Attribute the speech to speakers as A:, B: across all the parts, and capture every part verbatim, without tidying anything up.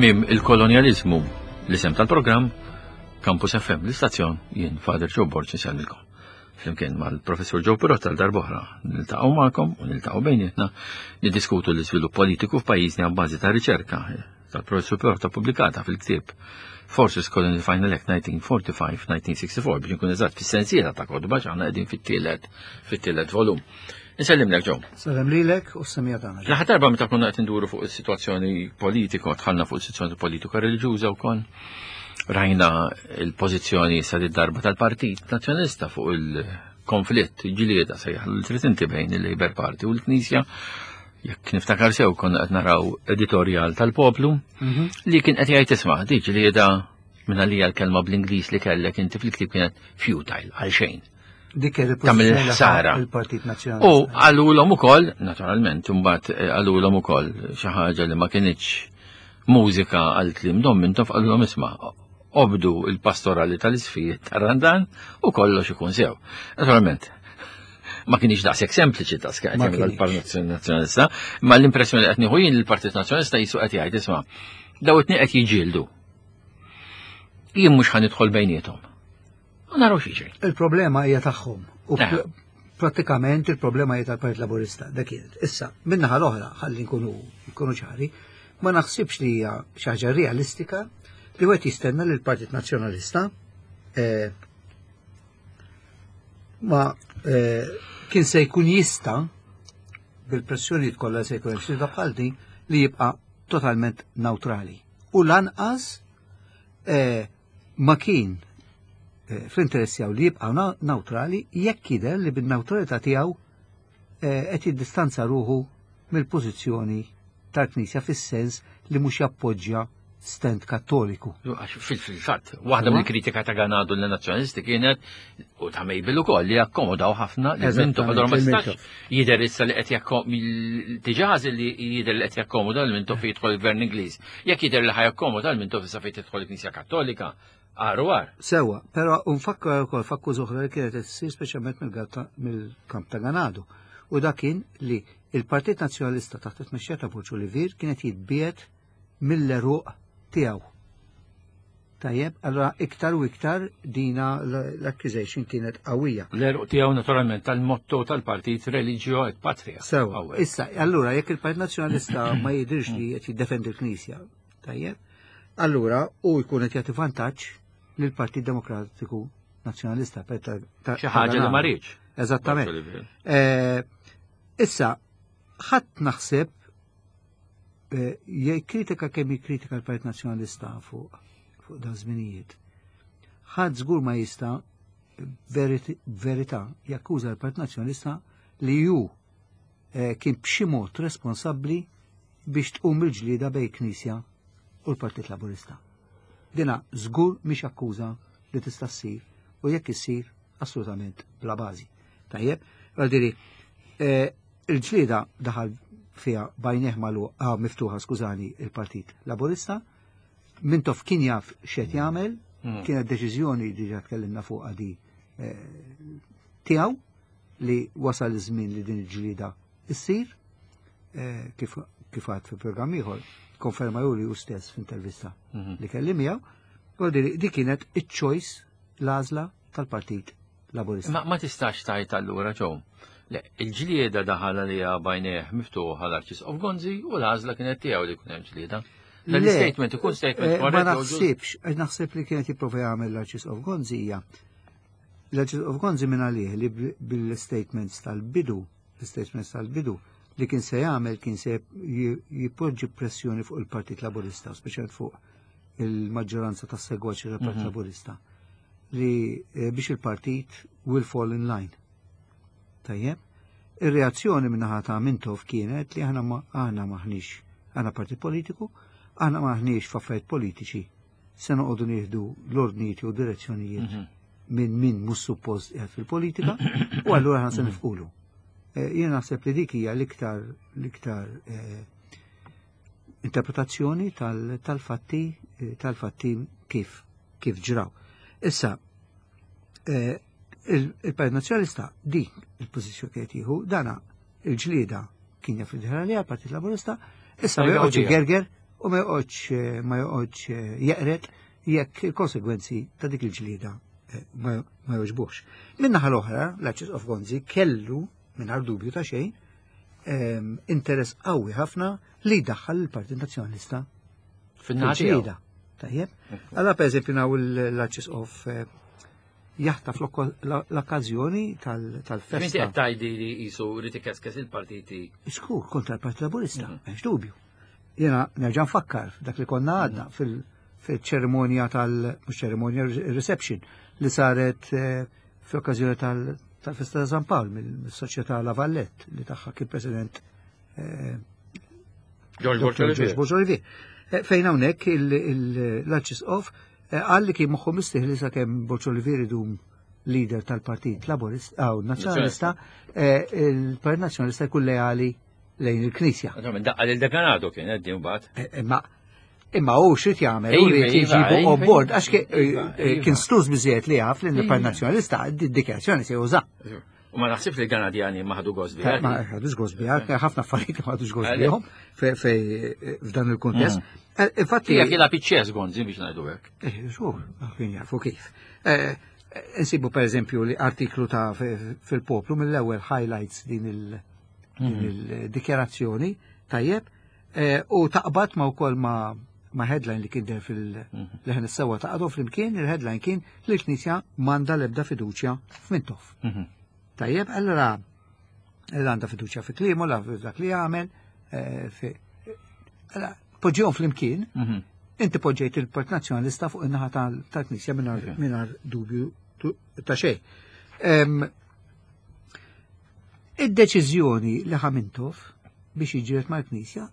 A: Tmiem il-kolonjaliżmu, l-isem tal-programm, Campus F M, l-istazzjon, jien Father Joe Borg insellmilkom. Flimkien mal-Professur Joe Pirotta l-darbohra niltaqgħu magħkom u niltaqgħu bejnietna niddiskutu l-iżvilupp politiku f'pajjiżna b'bażi ta' riċerka tal-Professur Pirotta pubblikata fil-ktieb Forces Colonial Final Act nineteen forty-five nineteen sixty-four biex nkun eżatt fis-sensiela ta' kotba x'aħna qegħdin fit-tielet, fit-tielet volum. Insellimlek Joe.
B: Sellem lilek u s-semija tagħna.
A: L-aħħar darba meta konna qed induru fuq is-sitwazzjoni politika, dħalna fuq is-sitwazzjoni politika reliġjuża wkoll. Rajna l-pożizzjoni sa darba tal-Partit Nazzjonalista fuq il-konflitt ġlieda sejjaħ l trid inti bejn il-Labour Party u l-Knisja. Jekk niftakar sew konna qed naraw editorjal tal-Poplu
B: Mhm.
A: li kien qed jgħid isma' di ġlieda minn għalija l-kelma bl-Ingliż li kellek inti fil-ktieb kienet futile għal xejn.
B: Dik kienet
A: Tagħmel
B: il-pożizzjoni li
A: ħsara.
B: il-Partit Nazzjonalista.
A: U qalulhom ukoll, naturalment, imbagħad, eh, qalulhom ukoll xi ħaġa li ma kinitx mużika għal kliem Dom Mintoff, qalulhom isma' obdu il-pastorali tal-isfijiet tar-Randan u kollox ikun sew. Naturalment, ma kienx daqshekk sempliċi ta' skajt
B: Ma
A: jagħmel
B: kienx.
A: il-Partit Nazzjonalista, imma l-impressjoni li qed nieħu jien il-Partit Nazzjonalista jisu qed jgħid isma' daw it-tnejn qed jiġġieldu. Jien mhux ħa nidħol bejniethom. U naraw xi jiġri.
B: Il-problema hija tagħhom. U
A: Eh.
B: pr-, prattikament il-problema hija tal-Partit Laburista, dak kienet. Issa, min-naħa l-oħra, ħalli nkunu, nkunu ċari, ma naħsibx li hija xi ħaġa realistika li wieħed jistenna li l-Partit Nazzjonalista, eh, ma, eh, kien se jkun jista' bil-pressjonijiet kollha se jkun hemm xi bħal din li jibqa' totalment neutrali. U lanqas, eh, ma kien, eh, fl-interess tiegħu li jibqa' na-, neutrali jekk jidher li bin-neutralità tiegħu, eh, qed jiddistanza ruħu mill-pożizzjoni tal-Knisja fis-sens li mhux jappoġġja stand kattoliku.
A: Għax fil-fatt, waħda mill-kritika ta' Ganado l-nazzjonalisti kienet u ta' Mabel ukoll li akkomodaw ħafna li
B: Eżattament,
A: Mintoff, allora ma
B: li
A: stax
B: Mintoff.
A: jidher issa li qed jakkom-, diġà li jidher li qed jakkomoda l Mintoff jidħol il-Gvern Ingliż. Jekk jidher li ħajakkomoda l Mintoff issa fejn tidħol il-Knisja Kattolika, għar u għar.
B: Sewa, però nfakkar ukoll fakku oħra li kienet issir speċjalment mill-gatta-, mill-kamp ta' Ganado. U dak kien li il-Partit Nazzjonalista taħt it-tmexxija ta' Borg Olivier kienet jitbiet mill-eruq tiegħu. Tajjeb, allora iktar u iktar dina l-, l-accusation kienet qawwija.
A: L-eruq tiegħu naturalment tal-motto tal-partit Religio et Patria.
B: Sewa,
A: Qawwi.
B: issa, allura jekk il-Partit Nazzjonalista ma jidhirx li qed jiddefendi l-Knisja, tajjeb, allura u jkun qed jagħti vantaġġ lill-Partit Demokratiku Nazzjonalista per ta' ta'
A: Xi ħaġa li ma rridx.
B: Eżattament.
A: Borg Olivier.
B: Eh, issa, ħadd naħseb, eh, jikkritika kemm jikkritika l-Partit Nazzjonalista fuq, fuq dan żminijiet. Ħadd żgur ma jista' veriti-, verità jakkuża l-Partit Nazzjonalista li ju, eh, kien b'xi mod responsabbli biex tqum il-ġlieda bejn Knisja u l-Partit Laburista. Dina żgur mhix akkuża li tista' ssir u jekk issir assolutament bla bażi. Tajjeb, għal-diri, eh, il-ġlieda daħal fiha bajneħ magħluq, ah, miftuħa, skużani, il-Partit Laburista, Mintoff kien jaf x'qed jagħmel,
A: Hmm.
B: kienet deċiżjoni diġà tkellimna fuqha di, eh, tiegħu li wasal iż-żmien li din il-ġlieda issir, eh, kif, kif għad fi programm ieħor, konferma juri hu stess f'intervista
A: Mhm.
B: li kelli miegħu, għal di kienet iċ-choice l-għażla tal-Partit Laburista.
A: Ma, ma tistax tajt allura Joe. Le, il-ġlieda daħal li bajneħ miftuħ għal Arċisqof Gonzi u l-għażla kienet tiegħu li jkun hemm ġlieda. Dan
B: Le,
A: l-statement ikun statement
B: eh, ma
A: korrett jew ġust.
B: naħsibx, eh, naħseb li kienet jipprova jagħmel l-Arċisqof Gonzi hija. L-Arċisqof Gonzi minn għalih li bl-, bil-statements tal-bidu, l-statements tal-bidu li kien se jagħmel kien se ji-, jipoġġi pressjoni fuq il-Partit Laburista, speċjalment fuq il-maġġoranza tas-segwaċi tal-Partit
A: Mhm.
B: Laburista, li, eh, biex il-partit will fall in line. Tajjeb, ir-reazzjoni min-naħa ta' Mintoff kienet li aħna ma-, aħna maħniex, aħna partit politiku, aħna maħniex f'affarijiet politiċi, se noqogħdu nieħdu l-ordnijiet jew direzzjonijiet
A: Mhm.
B: minn min mhux suppost qiegħed fil-politika, u allura aħna se nifqulu. Eh, jien naħseb li dik hija l-iktar, l-iktar, eh, interpretazzjoni tal-, tal-fatti, eh, tal-fatti kif, kif ġraw. Issa, eh, il-, il-Partit Nazzjonalista dik il-pożizzjoni kienet jieħu, dana il-ġlieda kien jaf li dħal għaliha l-Partit Laburista, issa
A: Ejja,
B: joqgħod
A: ġija.
B: gerger u ma joqgħodx ma joqgħodx jeqret jekk il-konsegwenzi ta' dik il-ġlieda ma jogħġbuhx. Min-naħa l-oħra, l-Arċisqof Gonzi kellu, mingħajr dubju ta' xejn, interess qawwi ħafna li jdaħħal il-Partit Nazzjonalista
A: fil-ġlieda.
B: Tajjeb. Allora, per eżempju, naw l-Arċisqof jaħtaf l-okkażjoni tal-festa.
A: Inti qed tgħidi li qisu rid ikeskes il-partiti.
B: Żgur, kontra l-Partit Laburista, m'hemmx dubju. Jiena nerġa' nfakkar dak li konna għadna fil-ċerimonja tal- mhux ċerimonja, reception li saret fl-okkażjoni tal-festa ta' San Pawl mill-Soċjetà La Vallette li tagħha kien President
A: George
B: Borg Olivier. Fejn hawnhekk l-Arċisqof qal li kien moħħu mistrieħ li sakemm Borg Olivier idum leader tal-Partit Laburista aw Nazzjonalista, il-Partit Nazzjonalista jkun leali lejn il-Knisja.
A: Daqqa lil dekanatu kien qed mbagħad.
B: Imma imma hu x'rid jagħmel, hu rrid jġibu on board għax kien stuż biżejjed li jaf li l-Partit Nazzjonalista d-dikjarazzjoni se juża.
A: U ma naħsibx li l-Kanadjani ma ħadu gost biha.
B: Ma ħadux gost biha, ħafna affarijiet ma ħadux gost bihom f'dan il-kuntest. Infatti
A: Hija kiela piċċes Gonzi biex ngħidu hekk.
B: Eh, żgur, kien jafu kif. Insibu per eżempju li artiklu ta' fil-Poplu mill-ewwel highlights din il-dikjarazzjoni, tajjeb, u taqbad ma wkoll ma ma headline li kien der fil-Leħen is-Sewwa taqgħdu flimkien, il-headline kien li l-Knisja m'għandha l-ebda fiduċja f'Mintoff. Tajjeb, allora għandha fiduċja fi kliemu, la dak li jagħmel, allora poġġihom flimkien, inti poġġejt il-Partit Nazzjonalista fuq in-naħa tal-Knisja mingħajr dubju ta' xejn. Id-deċiżjoni li ħa Mintoff biex jiġġieled mal-Knisja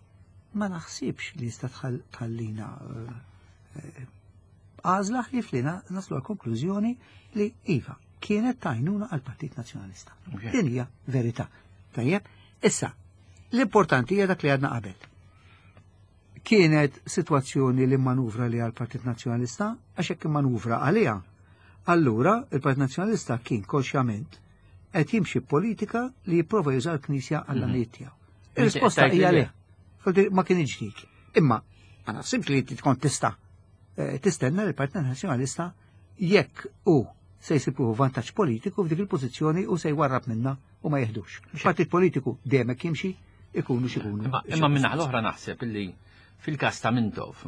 B: ma naħsibx li jista' tħallina għażla ħlief li naslu għal konklużjoni li iva kienet tajnuna għal Partit Nazzjonalista. Din hija verità. Tajjeb, issa l-importanti hija dak li għadna qabel. Kienet sitwazzjoni li manuvra li għal Partit Nazzjonalista, għax hekk manuvra għaliha. Allura il-Partit Nazzjonalista kien konxjament qed jimxi politika li jipprova juża l-Knisja għall-għanijiet tiegħu. Ir-risposta hija le. Ma kien ġdid. Imma ma naħsibx li tkun tista' tistenna li l-Partit Nazzjonalista jekk hu se jsibu vantaġġ politiku f'dik il-pożizzjoni u se jwarrab minna u ma jeħdux. Partit politiku dejjem hekk jimxi ikunu x'ikunu.
A: Imma minn naħa l-oħra naħseb illi fil-każ ta' Mintoff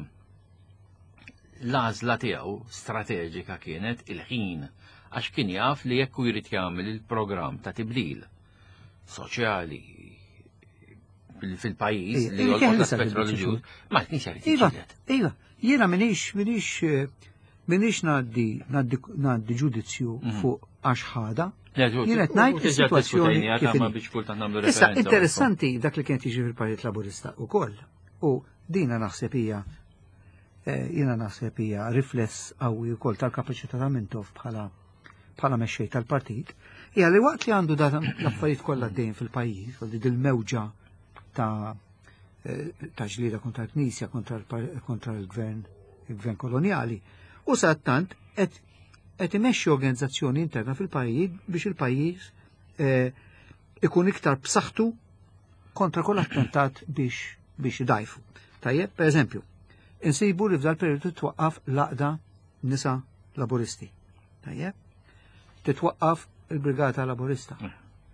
A: l-għażla tiegħu strateġika kienet il-ħin, għax kien jaf li jekk hu jrid jagħmel il-programm ta' tibdil soċjali fil-pajjiż li jolqot l-aspett reliġjuż, ma kienx jrid
B: Iva,
A: jiġġieled.
B: iva, jiena minix minix minix ngħaddi ngħaddi ġudizzju fuq għax ħada. Jien qed ngħid is-sitwazzjoni kif inhi.
A: Biex kultant nagħmlu
B: Issa
A: referenza.
B: Interessanti dak li kien jiġri fil-Partit Laburista wkoll. U dina naħseb hija jiena naħseb hija rifless qawwi wkoll tal-kapaċità ta' Mintoff bħala bħala mexxej tal-partit, hija li waqt li għandu dan l-affarijiet kollha dejjem fil-pajjiż, għalli dil-mewġa ta' ta' ġlieda kontra l-Knisja, kontra l-gvern, il-gvern koloniali, u sattant qed qed imexxi organizzazzjoni interna fil-pajjiż biex il-pajjiż ikun iktar b'saħħtu kontra kull attentat biex biex idajfu. Tajjeb, per eżempju, insibu li f'dal periodu titwaqqaf l-Għaqda Nisa Laburisti. Tajjeb, titwaqqaf il-Brigata Laburista.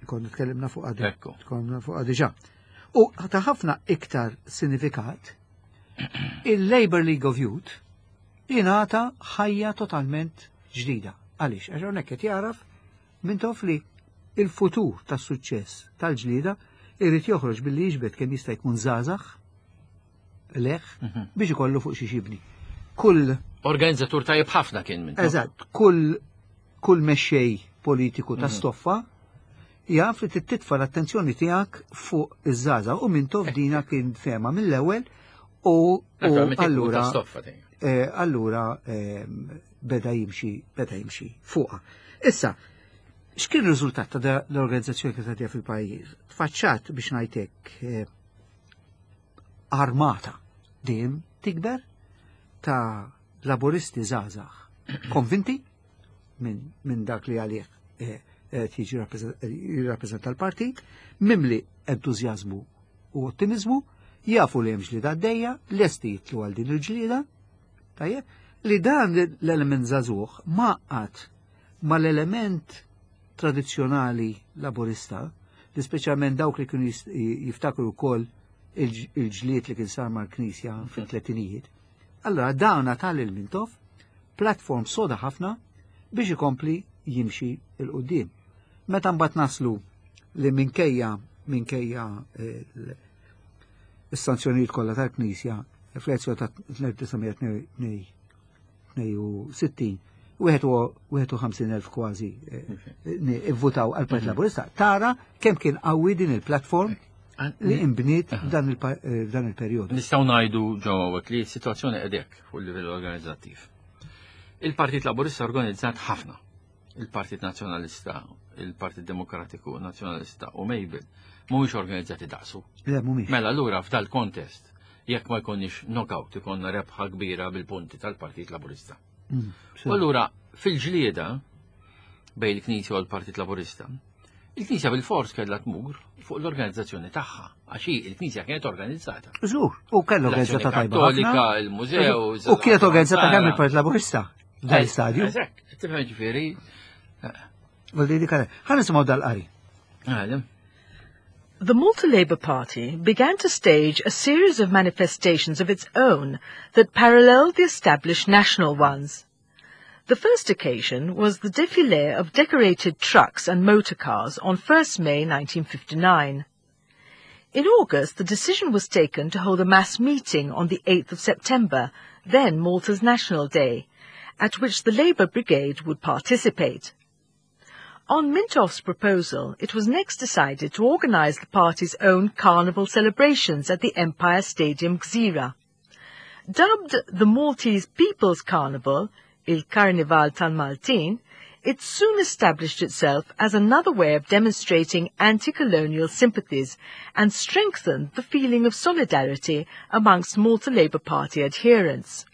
B: Konna tkellimna fuq għadi. Konna fuq diġà. U ta' ħafna iktar sinifikat, il-Labour League of Youth jingħata ħajja totalment ġdida. Għaliex? Għax hawnhekk qed jaraf Mintoff li il-futur tas-suċċess tal-ġlida irid joħroġ billi jiġbed kemm jista' jkun żgħażagħ leħ biex ikollu fuq xi xibni. Kull
A: organizzatur tajjeb ħafna kien minn.
B: Eżatt, kull kull mexxej politiku ta' stoffa jaf li titfa l-attenzjoni tiegħek fuq iż-żgħażagħ u Mintoff dina kien fema mill-ewwel u allura allura beda jimxi beda jimxi fuqha. Issa, x'kien ir-riżultat ta' l-organizzazzjoni kif tgħaddiha fil-pajjiż? Tfaċċat biex ngħidlek armata dejjem tikber ta' laburisti żgħażagħ konvinti minn min dak li għalih tiġi jirrappreżenta l-partit, mimli entużjażmu u ottimizmu, Jafu li hemm ġlieda għaddejja, lesti jitlu għal din il-ġlieda, tajjeb, li dan l-element żagħżugħ maqgħad mal-element tradizzjonali laburista, li speċjalment dawk li kienu jiftakru wkoll il-ġlied li kien sar mal-Knisja fil-tletinijiet. Allora dawna tal-il-Mintoff platform soda ħafna biex ikompli jimxi 'l quddiem. Meta mbagħad naslu li minkejja minkejja is-sanzjonijiet kollha tal-Knisja fl-elezzjoni ta' elf disa' mija tnejn u sittin, wieħed u ħamsin elf kważi ivvutaw għal-Partit Laburista, tara kemm kien qawwi din il-platform li imbniet dan il-perjodu.
A: Nistgħu ngħidu ġewwa li s-sitwazzjoni qedek fuq il-livell organizzattiv. Il-Partit Laburista organizzat ħafna. Il-Partit Nazzjonalista, il-Partit Demokratiku Nazzjonalista u Mabel mhumiex organizzati daqsu.
B: Le, mhumiex.
A: Mela allura f'dal kontest jekk ma jkunniex knockout, ikonna rebħa kbira bil-punti tal-Partit Laburista.
B: Mm,
A: U allura fil-ġlieda bejn il-Knisja u l-Partit Laburista, il-Knisja bil-fors kellha tmur fuq l-organizzazzjoni tagħha, għax hi il-Knisja kienet organizzata.
B: Żgur, u kellu organizzata tajba
A: Kattolika,
B: ħafna.
A: Il-mużew.
B: U kienet organizzata kemm il-Partit Laburista f'dan l-istadju.
A: Eżatt, tifhem ġifieri.
B: Vuol dik. Ħa nisimgħu dal-qari.
A: Għalem.
C: The Malta Labour Party began to stage a series of manifestations of its own that paralleled the established national ones. The first occasion was the défilé of decorated trucks and motor cars on first May nineteen fifty-nine. In August, the decision was taken to hold a mass meeting on the eighth of September, then Malta's National Day, at which the Labour Brigade would participate. On Mintoff's proposal, it was next decided to organise the party's own carnival celebrations at the Empire Stadium, Gżira. Dubbed the Maltese People's Carnival, Il Carnival tal-Maltin, it soon established itself as another way of demonstrating anti-colonial sympathies and strengthened the feeling of solidarity amongst Malta Labour Party adherents.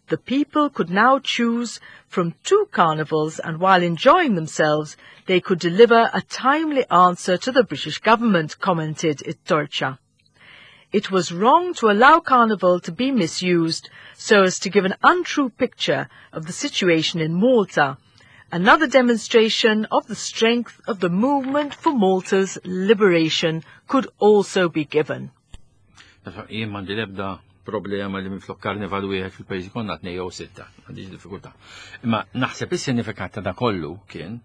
C: The people could now choose from two carnivals, and while enjoying themselves, they could deliver a timely answer to the British government, commented It-Torċa. It was wrong to allow Carnival to be misused so as to give an untrue picture of the situation in Malta, another demonstration of the strength of the movement for Malta's liberation could also be given.
A: Jien m'għandi l-ebda problema li minflok karnival wieħed fil-pajjiż konna tnejn jew sitta, m'għandix diffikultà. Imma naħseb is-sinifikat ta' da kollu kien,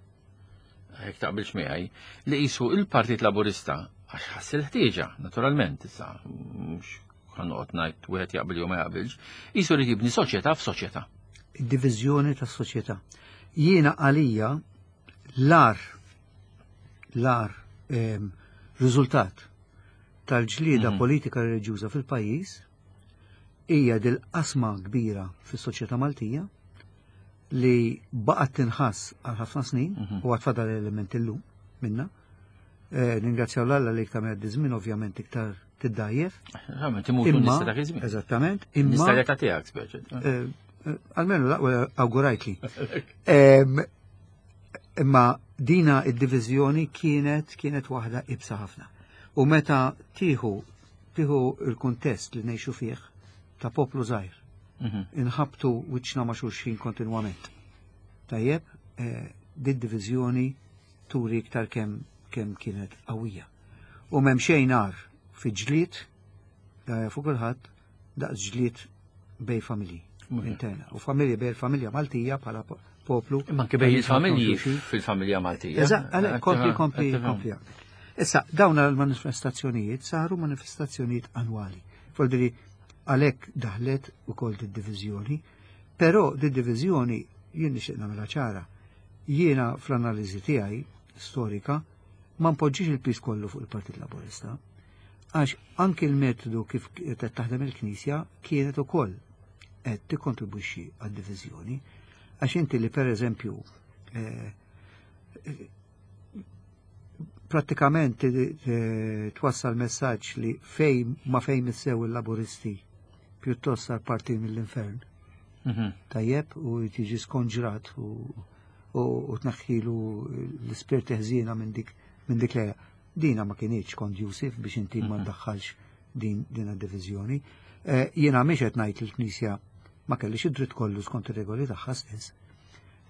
A: jekk taqbilx miegħi, li qisu il-Partit Laburista għax ħass il-ħtieġa, naturalment, issa mhux ħa noqgħod ngħid wieħed jaqbel jew ma jaqbilx, qisu li jibni soċjetà f'soċjetà.
B: Id-diviżjoni tas-soċjetà. Jiena għalija l-agħar l-agħar em, riżultat tal-ġlieda
A: Mhm.
B: politika reliġjuża fil-pajjiż hija dil-qasma kbira fis-soċjetà Maltija li baqgħet tinħass għal ħafna snin
A: Mhm.
B: u għad fadal element illum minna. Eh, Ningrazzjaw l-Alla li iktar ma żmien ovvjament iktar tiddajjef.
A: Verament, imutu
B: Imma,
A: nista dak iż-żmien.
B: eżattament, imma
A: Nista l-età tiegħek speċi.
B: eh, eh, almenu l-aqwa awgurajtli. Em, Imma dina id-diviżjoni kienet kienet waħda iebsa ħafna. U meta tieħu tieħu il-kuntest li ngħixu fih ta' poplu żgħir,
A: Mhm.
B: inħabtu wiċċna ma' xulxin kontinwament. Tajjeb, eh, din diviżjoni turi iktar kemm kemm kienet qawwija. U m'hemm xejn agħar fi ġlied eh, fuq kulħadd daqs ġlied bejn familji interna. U familji bejn familja Maltija bħala po- poplu.
A: Imma anke bejn il-familji
B: Xulxin.
A: fil-familja Maltija.
B: Eżatt, għalhekk, kompli, kompli,
A: Tifhem.
B: kompli. Issa, dawn il-manifestazzjonijiet saru manifestazzjonijiet annwali. Voldiri, għalhekk daħlet ukoll di-diviżjoni, però di-diviżjoni jien nixtieq nagħmilha ċara. Jiena fl-analiżi tiegħi storika ma npoġġix il-piż kollu fuq il-Partit Laburista, għax anki il-metodu kif qed taħdem il-Knisja kienet ukoll qed tikkontribwixxi għad-diviżjoni, għax inti li per eżempju eh, prattikament eh, twassal messaġġ li fej ma fejn missew il-Laburisti pjuttost sar parti mill-infern.
A: Mhm.
B: Tajjeb, u tiġi skonġrat u, u, u tnaħħilu l-ispirti ħżiena minn dik minn dik lejha. Dina ma kinitx conducive biex inti ma tdaħħalx din din id-diviżjoni. Eh, jiena mhix qed ngħid li l-Knisja ma kellix id-dritt kollu skont ir-regoli tagħha stess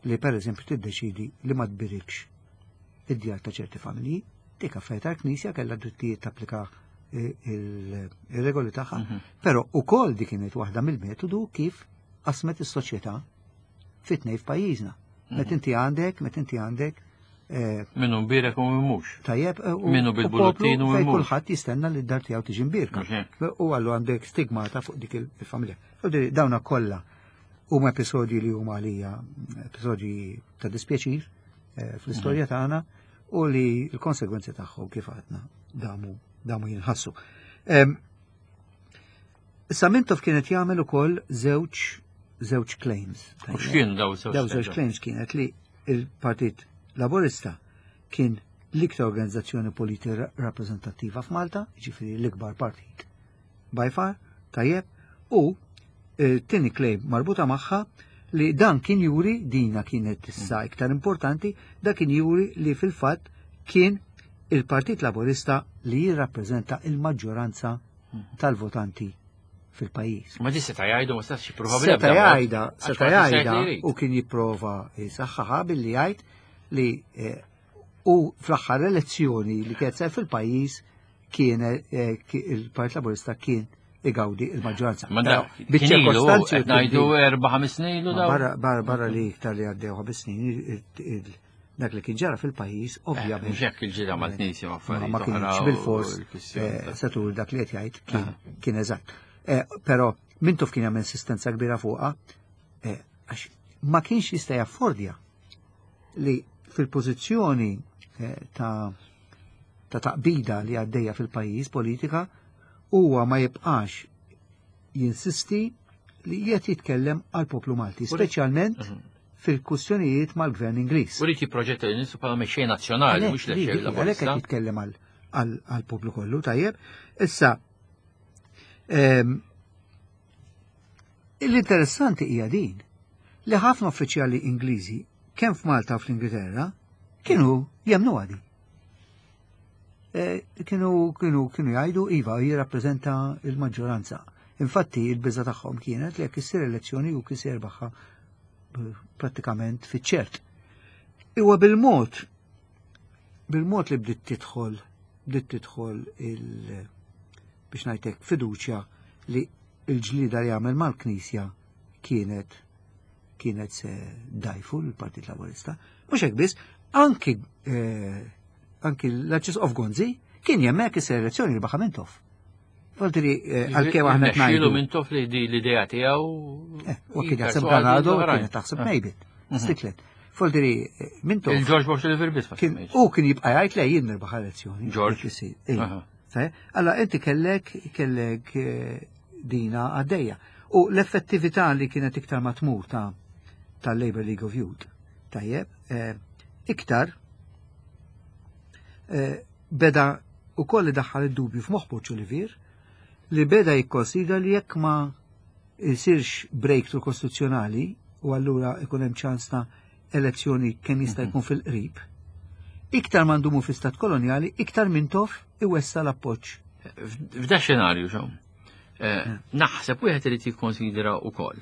B: li pereżempju tiddeċidi li ma tbirikx id-djar ta' ċerti familji, dik affarijiet tal-Knisja kellha drittijiet tapplika eh, il-regoli tagħha,
A: Mhm.
B: però ukoll dik kienet waħda mill-metodu kif qasmet is-soċjetà fit-tnejn f'pajjiżna. Meta inti għandek, meta inti għandek eh,
A: Minnu mbirek u min mhux.
B: tajjeb eh, u
A: Minnu bil-bulletin u
B: fejn
A: min mhux.
B: kulħadd jistenna li d-dar tiegħu tiġi mbirka.
A: Mhux hekk.
B: U għallu għandek stigmata fuq dik il-familja. U di- Dawna kollha huma episodji li huma għalija episodji ta' dispjaċir eh, fl-istorja
A: Mhm.
B: tagħna u li l-konsegwenzi tagħhom kif għadna damu damu jinħassu. Em, Issa Mintoff kienet jagħmel ukoll żewġ żewġ claims.
A: U x'kienu daw żewġ
B: Daw żewġ claims kienet li il-Partit Laburista kien l-iktar organizzazzjoni politika rappreżentattiva f'Malta, ġifieri l-ikbar partit. By far, tajjeb, u eh, tieni claim marbuta magħha li dan kien juri, dina kienet issa iktar importanti, da kien juri li fil-fatt kien il-Partit Laburista li jirrappreżenta il-maġġoranza tal-votanti fil-pajjiż.
A: Ma di seta' jgħidu ma setax jipprova
B: Seta' jgħidha,
A: Għax
B: seta'
A: ma jista'
B: jgħidha
A: jgħid li jrid.
B: u kien jipprova jisaħħaħa billi jgħid li eh, u fl-aħħar elezzjoni li kienet sar fil-pajjiż kien eh, ki- il-Partit Laburista kien igawdi il-maġġoranza.
A: Ma
B: Però
A: da, kien ilu,
B: biċ-ċirkostanzi
A: qed ngħidu erba' ħames snin ilu
B: Ma
A: daw.
B: barra barra barra li iktar li għaddew ħames snin il- il- dak li kien ġara fil-pajjiż ovvjament
A: Mhux hekk il-ġida mal-Knisja ma
B: ma
A: affarijiet
B: ma kienx
A: oħra u
B: bil-fors
A: l-kwistjoni
B: eh,
A: ta'
B: setur dak li qed jgħid kien kien eżatt. Eh, Però Mintoff kien jagħmel insistenza kbira fuqha eh, għax ma kienx jista' jaffordja li fil-pożizzjoni eh, ta' ta' taqbida li għaddejja fil-pajjiż politika huwa ma jibqax jinsisti li qed jitkellem għal poplu Malti, speċjalment fil-kwistjonijiet mal-gvern Ingliż.
A: U rrid jipproġetta lil nisu bħala mexxej nazzjonali, mhux
B: Għalhekk
A: l-mexxej
B: għalhekk
A: laburista.
B: qed jitkellem għal- għal għal poplu kollu, tajjeb. Issa, ehm, l-interessanti hija din li ħafna uffiċjali Ingliżi kemm f'Malta u fl-Ingilterra kienu jemnu għadi. Eh, Kienu kienu kienu jgħidu iva jirrappreżenta il-maġġoranza. Infatti il-biża tagħhom kienet li jekk issir elezzjoni u kien se jirbaħha eh, prattikament fiċ-ċert. Iwa bil-mod bil-mod li bdiet tidħol bdiet tidħol il biex ngħidlek fiduċja li l-ġlida li għamel mal-Knisja kienet kienet se dajfu l-Partit Laburista. Mhux hekk biss, anki eh, anki l-Arċisqof Gonzi kien jemmek is elezzjoni li baħa Mintoff. Voltiri għalkemm aħna qed
A: Irnexxielu
B: ngħidu.
A: Mintoff li di l-idea tiegħu.
B: Eh, U kien jaħseb
A: jipperswadi
B: Ganado,
A: l-oħrajn.
B: kien taħseb Mejbit. Stiklet. Voltiri Mintoff
A: Il-George Bush Oliver biss ma
B: kien
A: semmejx.
B: u kien jibqa' jgħid le jien nirbaħ elezzjoni.
A: George?
B: Jekk isir. Ej.
A: Aha.
B: Fej? Allora inti kellek kellek eh, dina għaddejja. U l-effettività li kienet iktar matmur ta' tal-Labour League of Youth, tajjeb, eh, iktar eh, beda u koll daħħal id-dubju f'moħħ Borg Olivier li beda jikkonsidra li jekk ma jsirx breakthrough kostituzzjonali u allura ikun hemm ċans ta' elezzjoni kemm jista' jkun fil-qrib, iktar ma ndumu fi stat koloniali, iktar Mintoff iwessa l-appoġġ.
A: F'da xenarju xew. Eh, naħseb wieħed irid jikkonsidra wkoll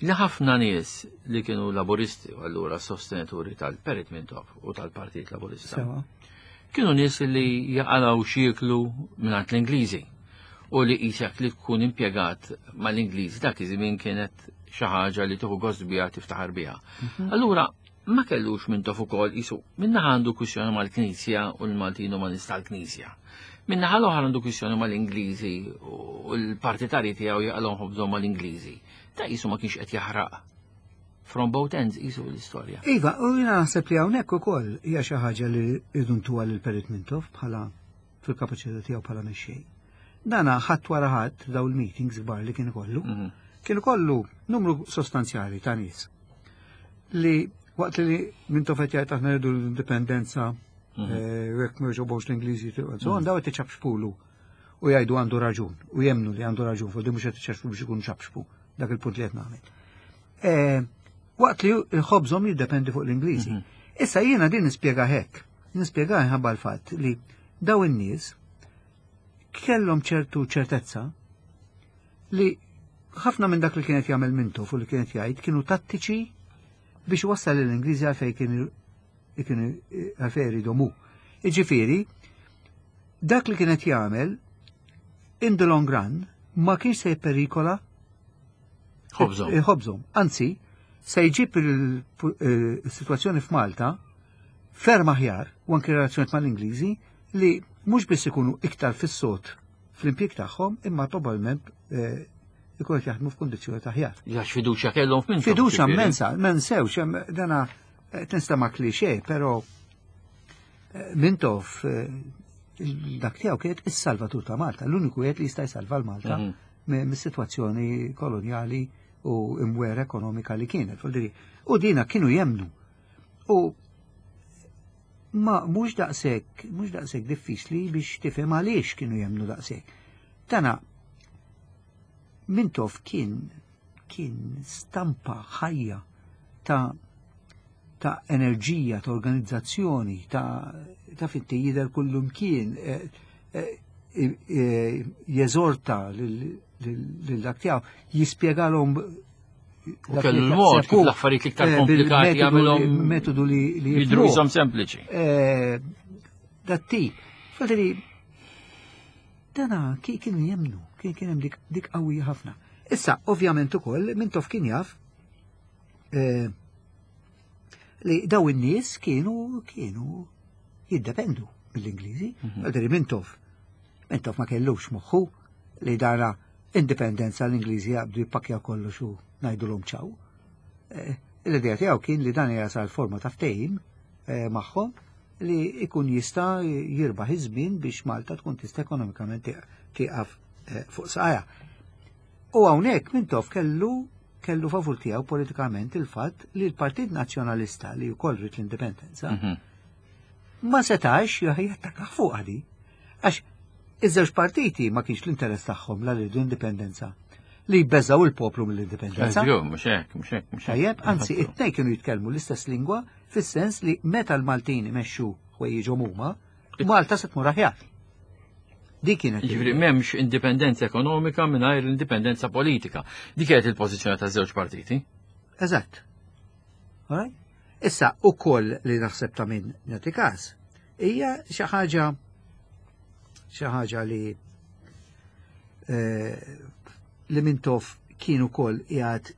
A: li ħafna nies li kienu laburisti u allura sostenituri tal-Perit Mintoff u tal-Partit Laburista.
B: Sewa.
A: Kienu nies li jaqalaw xieklu mingħand l-Ingliżi u li qisek li tkun impjegat mal-Ingliżi dak iż-żmien kienet xi ħaġa li tieħu gost biha tiftaħar biha. Allura ma kellux Mintoff ukoll qisu minnaħa għandu kwistjoni mal-Knisja u l-Maltin u man-nies tal-Knisja. Minnaħa l-oħra għandu kwistjoni mal-Ingliżi u l-partitari tiegħu jaqalhom ħobżhom mal-Ingliżi. Ta' qisu ma kienx qed jaħraq. From both ends qisu l-istorja.
B: Iva, u jina naħseb li hawnhekk ukoll hija xi ħaġa li rridu ntuha lil Perit Mintoff bħala fil-kapaċità tiegħu bħala mexxej. Dana ħadd wara ħadd daw il-meetings kbar li kien ikollu,
A: Mhm.
B: kien ikollu numru sostanzjali ta' nies li waqt li Mintoff qed jgħid aħna rridu l-indipendenza eh, u jekk ma jogħġobhomx l-Ingliżi so on, daw qed iċapxpulu u jgħidu għandu raġun u jemnu li għandu raġun fuq di mhux qed iċapxpu biex ikunu ċapxpu dak il-punt li qed nagħmel. Eh, Waqt li l-ħobżhom jiddependi fuq l-Ingliżi. Issa jiena din nispjega hekk. Nispjega ħabba l-fatt li daw in-nies Kellhom ċertu ċertezza li ħafna minn dak li kienet jagħmel Mintoff u li kienet jgħid kienu tattiċi biex wassal l-Ingliżi għalfejn kienu kienu għalfejn jridu hu. Iġifieri, dak li kienet jagħmel in the long run ma kienx se jperikola
A: Ħobżhom.
B: Ħobżhom. Anzi, se jġib il-situazzjoni f'Malta ferm aħjar u anki relazzjoni mal-Ingliżi li mhux biss ikunu iktar fis-sod fl-impjieg tagħhom imma probabbilment eh, ikunu qed jaħdmu f'kundizzjoni aħjar.
A: Għax fiduċja kellhom f'Mintoff.
B: Fiduċja
A: ġifieri.
B: immensa, ma nsewx, hemm dana eh, tinstema' klixé, però eh, Mintoff eh, dak tiegħu kienet is-salvatur ta' Malta, l-uniku wieħed li jista' jsalva l-Malta
A: Mhm.
B: mi- mis-sitwazzjoni kolonjali u imwera ekonomika li kienet. Vuol dire, U dina kienu jemnu. U ma mhux daqshekk, mhux daqshekk diffiċli biex tifhem għaliex kienu jemnu daqshekk. Tana Mintoff kien kien stampa ħajja ta' ta' enerġija, ta' organizzazzjoni, ta' ta' finti jidher kullum kien eh, eh, eh, jeżorta lil lil dak tiegħu, jispjegalhom
A: U kellu l-mod kif l-affarijiet l-iktar komplikati jagħmilhom
B: metodu li li
A: jidhru
B: jifhmuh.
A: jisom sempliċi.
B: Eh, dat tip. Fadri, dana ki kienu jemnu, kien kien hemm dik, dik qawwija ħafna. Issa, ovvjament ukoll, Mintoff kien jaf eh, li daw in-nies kienu kienu jiddependu mill-Ingliżi. Fadri, Mintoff, Mintoff ma kellux moħħu li dana indipendenza l-Ingliżi jaqbdu jippakja kollox u ngħidulhom ċaw. Eh, L-idea tiegħu kien li dan jasal forma ta' ftehim eh, magħhom li ikun jista' jirbaħ iż-żmien biex Malta tkun tista' ekonomikament tieqaf eh, fuq saqajha. U hawnhekk Mintoff kellu kellu favur tiegħu politikament il-fatt li l-Partit Nazzjonalista li wkoll ried l-indipendenza
A: Mhm.
B: ma setax jattakka fuq għadi. Għax iż-żewġ partiti ma kienx l-interess tagħhom la rridu indipendenza li jbeżaw il-poplu mill-indipendenza.
A: Eżju, mhux hekk, mhux hekk, mhux hekk.
B: Tajjeb, anzi, it-tnejn kienu jitkellmu l-istess lingwa fis-sens li meta l-Maltin imexxu ħwejjiġhom huma, Malta se tmur aħjar. Dik kienet.
A: Ġifieri m'hemmx indipendenza ekonomika mingħajr indipendenza politika. Dik kienet il-pożizzjoni taż-żewġ partiti.
B: Eżatt. Alright? Issa, ukoll li naħseb ta' min nagħti każ, hija xi ħaġa xi ħaġa li eh, li Mintoff kien ukoll qiegħed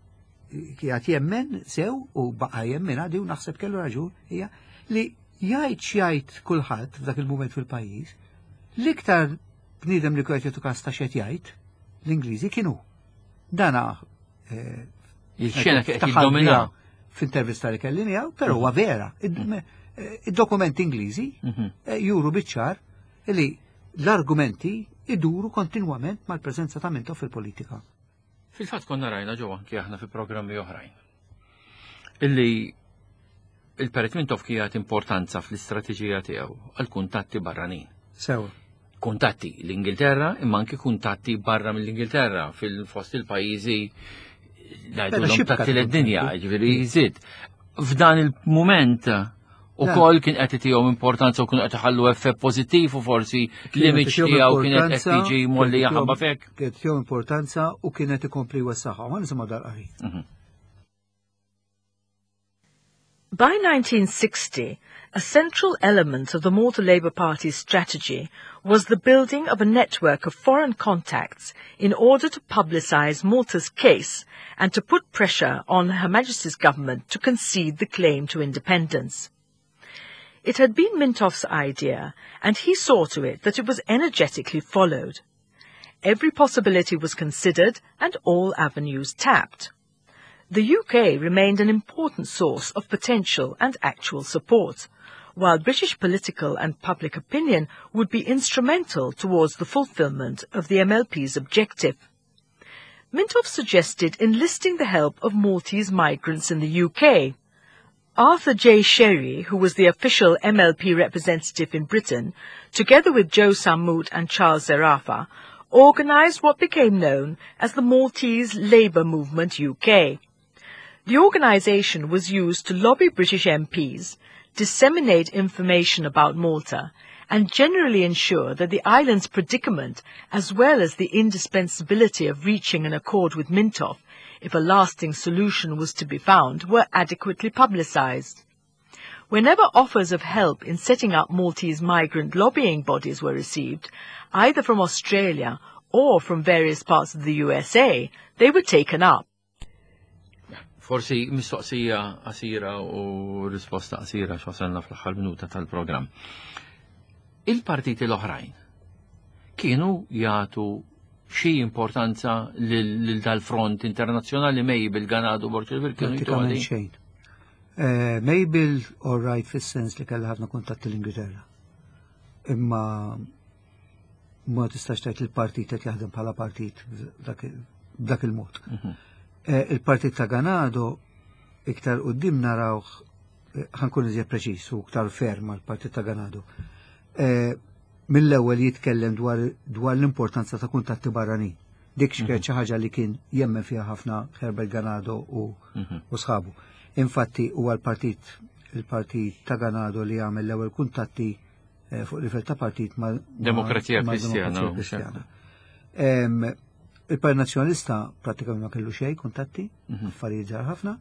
B: qiegħed jemmen sew u baqa' jemmen għadi u naħseb kellu raġun hija li jgħid x'jgħid kulħadd f'dak il-mument fil-pajjiż, l-iktar bniedem li kienet jagħtu każ ta' x'qed jgħid l-Ingliżi kienu. Dana eh,
A: Il-xena qed
B: Ftaħar
A: jiddomina.
B: biha f'intervista li kelli miegħu, però huwa vera. Id-dokumenti Ingliżi
A: Mhm.
B: eh, juru biċ-ċar li l-argumenti iduru kontinwament mal-preżenza ta' Mintoff fil-politika.
A: Fil-fatt konna rajna ġew anki aħna fi programmi oħrajn. Illi il-Perit Mintoff kienet importanza fl-istrateġija tiegħu għal kuntatti barranin.
B: Sewa.
A: Kuntatti l-Ingilterra imma anki kuntatti barra mill-Ingilterra fil-fost il-pajjiżi
B: Bella xibka
A: ngħidulhom tat dinja,
B: tkun.
A: ġifieri jżid. F'dan il-mument ukoll kien qed itihom importanza u kienu qed iħallu effett pożittiv u forsi l-image tiegħu kienet qed tiġi molli ħabba fek.
B: Kienet tihom importanza u kienet ikompli jwessaħħa. Ma nisimgħu dal-qari.
A: Mhm.
C: By nineteen sixty, a central element of the Malta Labour Party's strategy was the building of a network of foreign contacts in order to publicise Malta's case and to put pressure on Her Majesty's government to concede the claim to independence. It had been Mintoff's idea, and he saw to it that it was energetically followed. Every possibility was considered and all avenues tapped. The U K remained an important source of potential and actual support, while British political and public opinion would be instrumental towards the fulfillment of the M L P's objective. Mintoff suggested enlisting the help of Maltese migrants in the U K. Arthur J. Scerri, who was the official M L P representative in Britain, together with Joe Sammut and Charles Zerafa, organised what became known as the Maltese Labour Movement U K. The organisation was used to lobby British M Ps, disseminate information about Malta, and generally ensure that the island's predicament, as well as the indispensability of reaching an accord with Mintoff, if a lasting solution was to be found, were adequately publicized. Whenever offers of help in setting up Maltese migrant lobbying bodies were received, either from Australia or from various parts of the U S A, they were taken up.
A: Forsi mistoqsija qasira u risposta qasira, x'wasalna fl-aħħar minuta tal-programm. Il-partiti l-oħrajn kienu jagħtu xi importanza lil dal-front internazzjonali, Mabel, Ganado, Borg kienu
B: Prattikament xejn. Eh, Mabel, all right, fis-sens li kellha ħafna kuntatti l-Ingilterra. Imma ma tistax tgħid il-partit qed jaħdem bħala partit b'dak il-mod. Mhm. Eh, il-partit ta' Ganado iktar quddiem narawh, eh, ħa nkun iżjed preċis u iktar ferm għal-partit ta' Ganado. Mill-ewwel jitkellem dwar dwar l-importanza ta' kuntatti barranin. Dik xi mhm. ħaġa li kien jemmen fiha ħafna Herbert Ganado u mhm. sħabu. Infatti huwa l-partit il-partit ta' Ganado li għamel l-ewwel kuntatti eh, fuq livell ta' partit ma'
A: Demokrazija Kristjana.
B: Il-Partit Nazzjonalista prattikament ma kellu xejn kuntatti, mhm. affarijiet żgħar ħafna.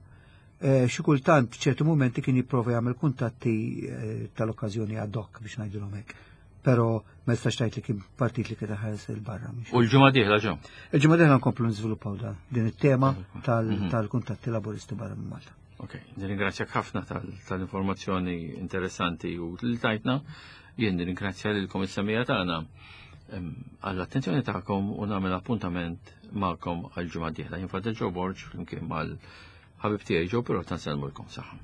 B: Eh, xi kultant ċertu momenti kien jipprova jagħmel kuntatti eh, tal-okkażjoni ad hoc, biex ngħidulhom hekk. Però ma jistax tgħid li kien partit li kien ħares 'il barra.
A: U l-ġimgħa dieħla ġew?
B: Il-ġimgħa dieħla nkomplu niżviluppaw dan din it-tema mhm. tal-kuntatti laburisti barra minn Malta.
A: Ok, nirringrazzjak ħafna tal-informazzjoni interessanti u li tajtna. Jien nirringrazzja lilkom is-semmiegħa tagħna għall-attenzjoni tagħkom u nagħmel appuntament magħkom għal ġimgħa dieħla. Jien Father Joe Borg flimkien mal-ħabib tiegħi Joe Pirotta nsellmulkom, saħħa.